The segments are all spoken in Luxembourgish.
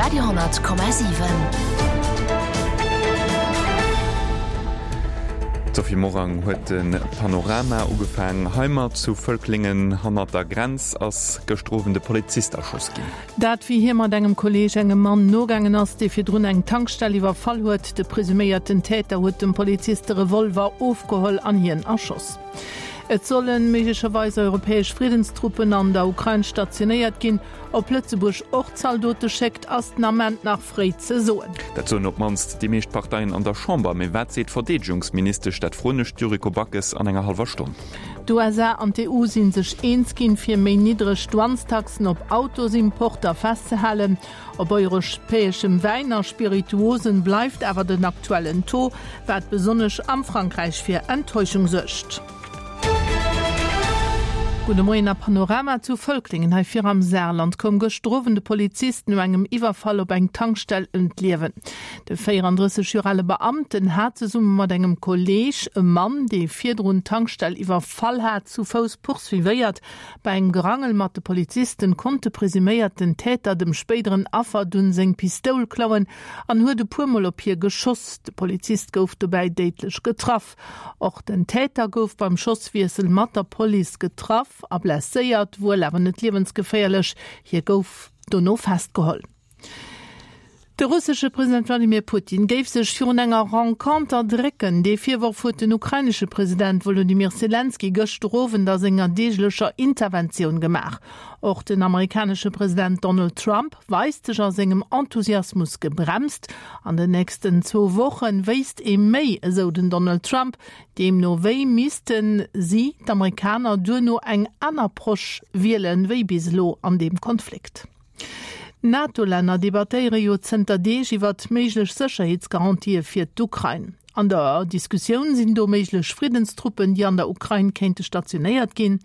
Radio 10,7. D'Sophie Morang huet de Panorama ugefaang. Heimat zu Völklingen hannert der Grenz ass gëschter Owend e Polizist erschoss ginn. Dat wéi hie mat engem Kolleeg engem Mann nogaangen ass, dee virdrun eng Tankstell iwwerfall huet. De presuméierten Täter huet dem Polizist de Revolver ofgeholl an hien erschoss. Et solle méiglecherweis europäesch Friddenstruppen an der Ukrain stationéiert ginn. Ob Lëtzebuerg och Zaldote schéckt, ass den Ament nach fréi ze soen. Dat soen op d'mannst déi meescht Parteien an der Chamber. Mee wat seet d'Verdeedegungsministesch? Dat froen ech d'Yuriko Backes an enger hallwer Stonn. D'USA an d'EU si sech eens ginn, fir méi niddreg Douanestaxen op Autosimporter festzehalen. Op europäeschem Wäin a Spirituosen bleift awer den aktuellen Taux, wat besonnesch am Frankräich fir Enttäuschung suergt. Gudde Moien a Panorama zu Völklingen hei vir am Saarland koum gëschter Owend e Polizist no engem Iwwerfall op eng Tankstell ëm d'Liewen. De 34 Joer ale Beamten hat zesumme mat engem Kolleeg e Mann, dee virdrun d'Tankstell iwwerfall hat, zu Fouss poursuivéiert. Bei engem Gerangel mat de Polizisten konnt de presuméierten Täter dem spéideren Affer dunn seng Pistoul klauen an huet e puer Mol op hie geschoss. De Polizist gouf dobäi déidlech getraff. Och den Täter gouf beim Schosswiessel mat der Police getraff a blesséiert, wuel awer net liewensgeféierlech. Hie gouf dono festgeholl. De russesche President Wladimir Putin géif sech virun enger Renconter drécken. Dee Virworf huet den ukrainesche President Wolodymyr Selenskyj gëschter Owend a senger deeglecher Interventioun gemaach. Och den amerikanesche President Donald Trump weist sech a sengem Enthusiasmus gebremst. An den nächsten zwou Woche wéisst ee méi, esou den Donald Trump. Deemno wéi misste si, d'Amerikaner, duerno eng aner Approche wielen, wéi bis elo an deem Konflikt. D'NATO-Länner debattéiere jo zënter Deeg iwwert méiglech Sécherheetsgarantië fir d'Ukrain. An der Diskussioun sinn do méiglech Friddenstruppen, déi an der Ukrain kéinte stationéiert ginn.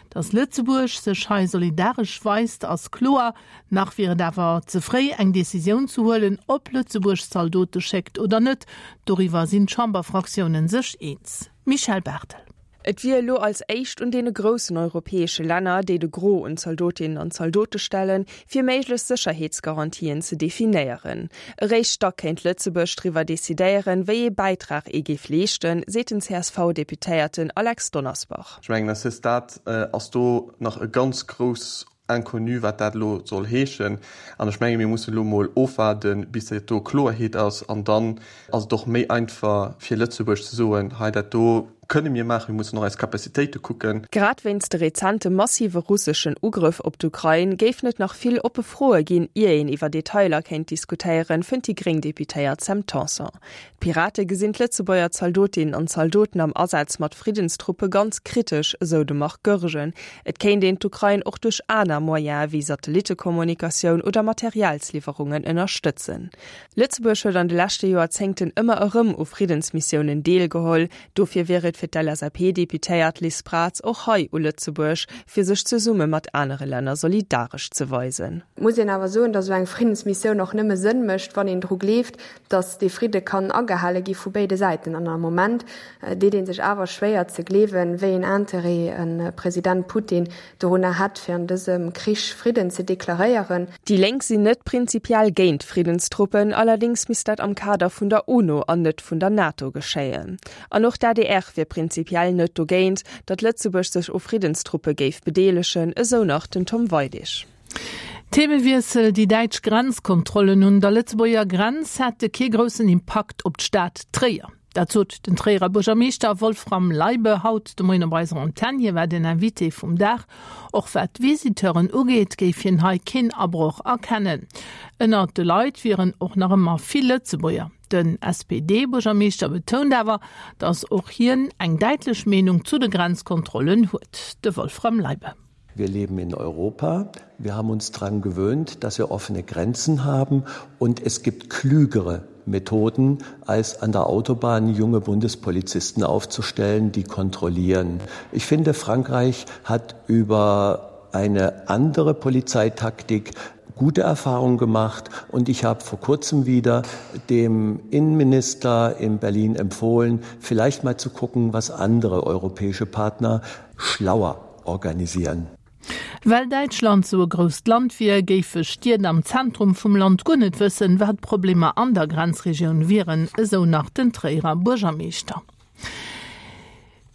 Datt Lëtzebuerg sech hei solidaresch weist, ass kloer. Nach wier et awer ze fréi, eng Decisioun ze huelen, ob Lëtzebuerg Zaldote schéckt oder net. Doriwwer sinn d'Chamberfraktiounen sech eens. Michèle Barthel. Et wier elo als éischt un deene groussen europäesche Länner, déi de Gros un Zaldotinnen an Zaldote stellen, fir méiglech Sécherheetsgarantien ze definéieren. Eréischt da kéint Lëtzebuerg driwwer decidéieren, wéi ee Bäitrag ee géif leeschten, seet den CSV-Deputéierten Alex Donnersbach. Ech mengen, à ce stade ass do nach e ganz grouss Inconnu, wat dat elo soll heeschen. An ech menge mir mussen elo emol ofwaarden, bis dat do Kloerheet ass. An dann ass et och méi einfach fir Lëtzebuerg ze soen, hei dat do kënne mir maachen, mir mussen och eis Capacitéite kucken. Grad wéinst de rezente massive russeschen Ugrëff op d'Ukrain géifen et nach vill oppe Froe ginn, ier een iwwer Detailer kéint diskutéieren, fënnt déi gréng Deputéiert Sam Tanson. D'Pirate gesinn d'Lëtzebuerger Zaldotinnen an Zaldoten am Asaz mat Friddenstruppe ganz kritesch, esou de Marc Goergen. Et kéint een d'Ukrain och duerch aner Moyene wéi Satellittekommunikatioun oder Materialsliwwerungen ënnerstëtzen. Lëtzebuerg huet an de leschte Joerzéngten ëmmer erëm u Friddensmissiounen deelgeholl. Dofir wier et fir d'LSAP-Deputéiert Liz Braz och hei u Lëtzebuerg, fir sech zesumme mat anere Länner solidaresch ze weisen. Et muss een awer soen, datt esou eng Friddensmissioun och nëmme Sënn mécht, wann een dru gleeft, datt dee Fridde kann agehale gi vu béide Säiten. An am Moment deet ee sech awer schwéier ze gleewen, wéi een Interêt e President Putin dorunner hätt, fir an dësem Krich Fridden ze deklaréieren. Déi Lénk sinn net prinzipiell géint Friddenstruppen, allerdéngs misst dat am Kader vun der UNO an net vun der NATO geschéien. An och d'ADR wier prinzipiell net dogéint, datt Lëtzebuerg sech u Friddenstruppe géif bedeelegen, esou nach den Tom Weidig. Themewiessel, Déi däitsch Grenzkontrollen un der Lëtzebuerger Grenz hätte kee groussen Impakt op d'Stad Tréier. Dat sot den Tréierer Buergermeeschter Wolfram Leibe haut de Moien op eiser Antenn. Hie war den Invité vum Dag. Och wat d'Visiteuren ugeet, géif hien hei keen Abroch erkennen. Ënnert de Leit wieren och nach ëmmer vill Lëtzebuerger. Den SPD-Buergermeeschter betount awer, datt och hien eng däitlech Meenung zu de Grenzkontrollen huet. De Wolfram Leibe. Wir leben in Europa. Wir haben uns daran gewöhnt, dass wir offene Grenzen haben und es gibt klügere Methoden, als an der Autobahn junge Bundespolizisten aufzustellen, die kontrollieren. Ich finde, Frankreich hat über eine andere Polizeitaktik gute Erfahrungen gemacht und ich habe vor kurzem wieder dem Innenminister in Berlin empfohlen, vielleicht mal zu gucken, was andere europäische Partner schlauer organisieren. Well Däitschland sou e grousst Land wier, géife Stied am Zentrum vum Land guer net wëssen, wat d'Problemer an der Grenzregioun wieren, esou nach den Tréierer Buergermeeschter.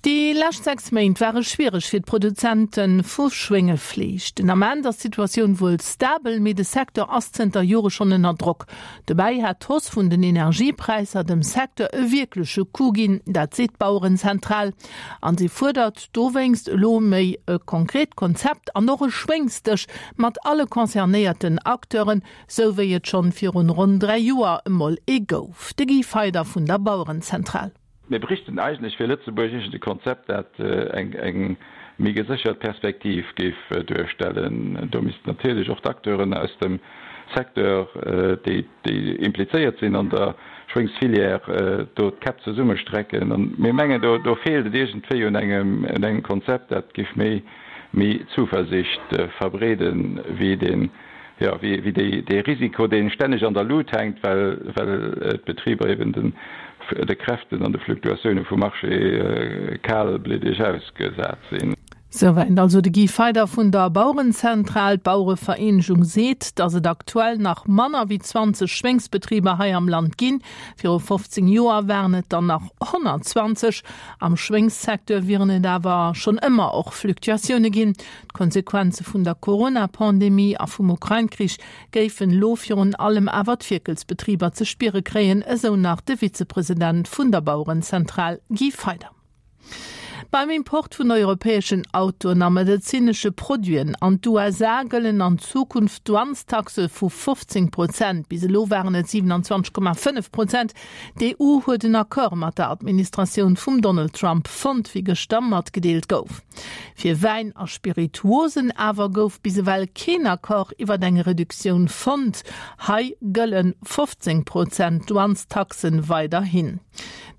Déi lescht 6 Méint ware schwiereg fir d'Produzente vu Schwéngefleesch. Den Ament ass d'Situatioun wuel stabel, mee de Secteur ass zënter Jore schonn ënner Drock. Dobäi hat d'Hausse vun den Energiepräisser dem Secteur e wierkleche Coup ginn, dat seet d'Bauerenzentral. An si fuerdert dowéinst elo méi e konkret Konzept an och e Schwéngsdësch mat alle concernéierten Acteuren, sou wéi et schonn virun ronn 3 Joer emol ee gouf. De Guy Feyder vun der Bauerenzentral. Mir bräichten eigentlech fir Lëtzebuerg iergend e Konzept, dat eng méi geséchert Perspektiv géif duerstellen. Do missten natierlech och d'Acteuren aus dem Secteur, déi implizéiert sinn an der Schwéngsfilière, do d'Käpp zesummestrecken. A mir mengen, do feelt et iergendwéi un engem Konzept, dat géif méi Zuversicht verbreeden, wéi deen jo, wéi dee Risiko, dee stänneg an der Lut hänkt, well d'Betriber eben de Kräften an de Fluktuatioune vum Marché kalbliddeg ausgesat sinn. Souwäit also de Guy Feyder vun der Bauerenzentral. D'Bauerevereenegung seet, datt et aktuell nach manner wéi 20 Schwéngsbetriber hei am Land ginn. Viru 15 Joer waren et der nach 120. Am Schwéngssecteur wieren et awer schonn ëmmer och Fluktuatioune ginn. D'Konsequenze vun der Corona-Pandemie a vum Ukrain-Krich géifen elo virun allem awer d'Fierkelsbetriber ze spiere kréien, esou nach de Vizepresident vun der Bauerenzentral Guy Feyder. Beim Import vun europäeschen Autoen a medezinesche Produiten an d'USA gëllen an Zukunft Douanestaxe vu 15 Prozent. Bis elo waren et 27,5 Prozent. D'EU huet en Accord mat der Administratioun vum Donald Trump fonnt, wéi gëschter matgedeelt gouf. Fir Wäin a Spirituosen awer gouf bis ewell keen Accord iwwer eng Reduktioun fonnt. Hei gëlle 15 Prozent Douanestaxen weiderhin.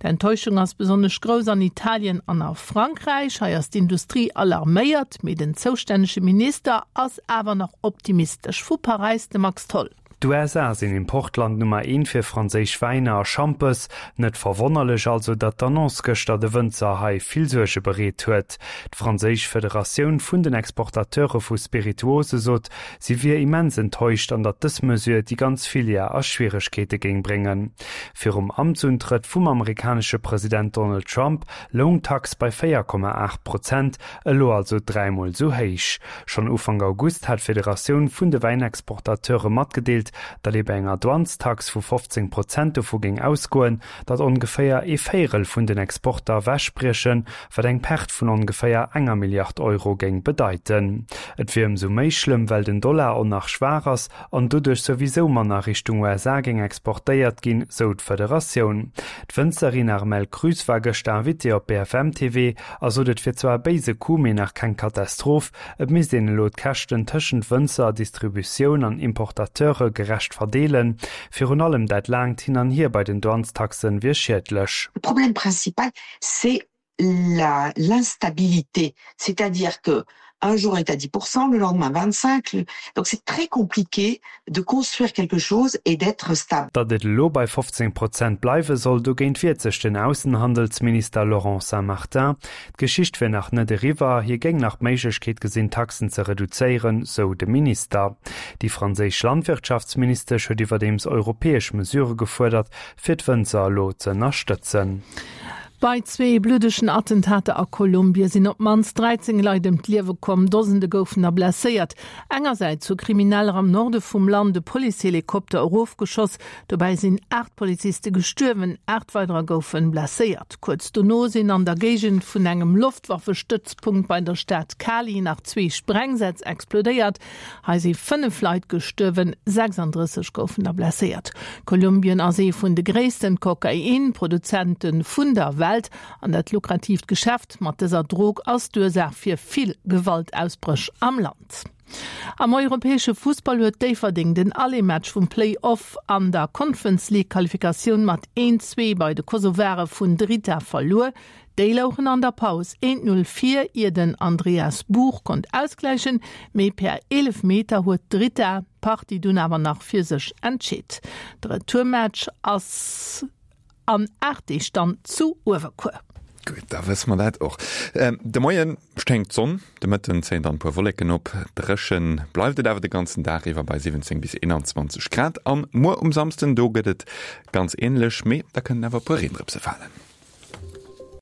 D'Enttäuschung ass besonnesch grouss an Italien an a Frankräich. Hei ass d'Industrie alarméiert, mee den zoustännege Minister ass awer nach optimistesch. Vu Paräis de Max Tholl. D'USA sinn Importland Nummer eent fir franséisch Wäiner a Schampes. Net verwonnerlech also, datt d'Annonce gëschter de Wënzer hei vill Suerge bereet huet. D'franséisch Federatioun vun den Exportateure vu Spirituose sot, si wier immens enttäuscht an datt dës Mesure déi ganz Filière a Schwieregkeete géing bréngen. Virum Amtsuntrëtt vum amerikanesche President Donald Trump loung d'Tax bei 4,8 Prozent, elo also dräimol esou héich. Schonn Ufank August hat d'Federatioun vun de Wäinexportateure matgedeelt, datt ee bei enger Douanestax vu 15 Prozent dovu géing ausgoen, datt ongeféier ee Véierel vun den Exporter ewechbriechen, wat eng Perte vun ongeféier enger Milliard Euro géing bedeiten. Et wier ëmsou méi schlëmm, well den Dollar och nach schwaach ass an doduerch souwisou manner Richtung USA géing exportéiert ginn, sou d'Federatioun. D'Wënzerin Armelle Krüss war gëschter Invitée op BFM TV a sot, et wier zwar e béise Coup, mee nach keng Katastroph. Et misst een elo d'Käschten tëschent Wënzer, Distributioun an Importateure gerecht verdeelen. Virun allem dat laangt Hin an Hier bei den Douanestaxen wier schiedlech. Le problème principal, c'est l'instabilité, c'est-à-dire que un jour est à 10%, le lendemain 25, donc c'est très compliqué de construire quelque chose et d'être stable. Datt et elo bei 15 Prozent bleiwe soll, dogéint wiert sech den Aussenhandelsminister Laurent Saint-Martin. D'Geschicht wier nach net eriwwer, hie géing nach d'Méiglechkeet gesinn, d'Taxen ze reduzéieren, sou de Minister. Déi franséisch Landwirtschaftsministesch huet iwwerdeems europäesch Mesurë gefuerdert, fir d'Wënzer elo ze ënnerstëtzen. Bei zwee bluddegen Attentater a Kolumbien sinn op d'mannst 13 Leit ëm d'Liewe komm, Dosende goufen der blesséiert. Engersäits hu Krimineller am Norde vum Land e Policehelikopter erofgeschoss, dobäi sinn 8 Poliziste gestuerwen, 8 weiderer goufe blesséiert. Kuerz dono sinn an der Géigend vun engem Loftwaffestëtzpunkt bei der Stad Cali nach zwee Sprengsätz explodéiert. Hei si 5 Leit gestuerwen, 36 goufen der blesséiert. Kolumbien ass ee vun de gréissten Kokain-Produzente vun der Welt an dat lukratiivt Geschäft mat dëser Drog ass d'Ursaach fir vill Gewaltausbréch am Land. Am europäesche Fussball huet Déifferdeng den Aller-Match vum Play-Off an der Conference League Qualifikatioun mat 1, 2 bei de Kosovare vun Drita verluer. Déi louchen an der Paus 1, 0 vir, ier den Andreas Buch konnt ausgläichen, mee per Eelefmeter huet d'Drita d'Partie dunn awer nach fir sech entscheet. De Retourmatch ass an 8 Deeg dann zu Uewerkuer. Gutt, da wësse mer dat och. De Moie schéngt d'Sonn, de Mëtten zéien dann e puer Wolleken op. Dréchen bleift et awer de ganzen Dag iwwer bei 17 bis 21 Grad. An muer um Samsden, do gëtt et ganz änlech, mee da kënnen awer e puer Reendrëpse falen.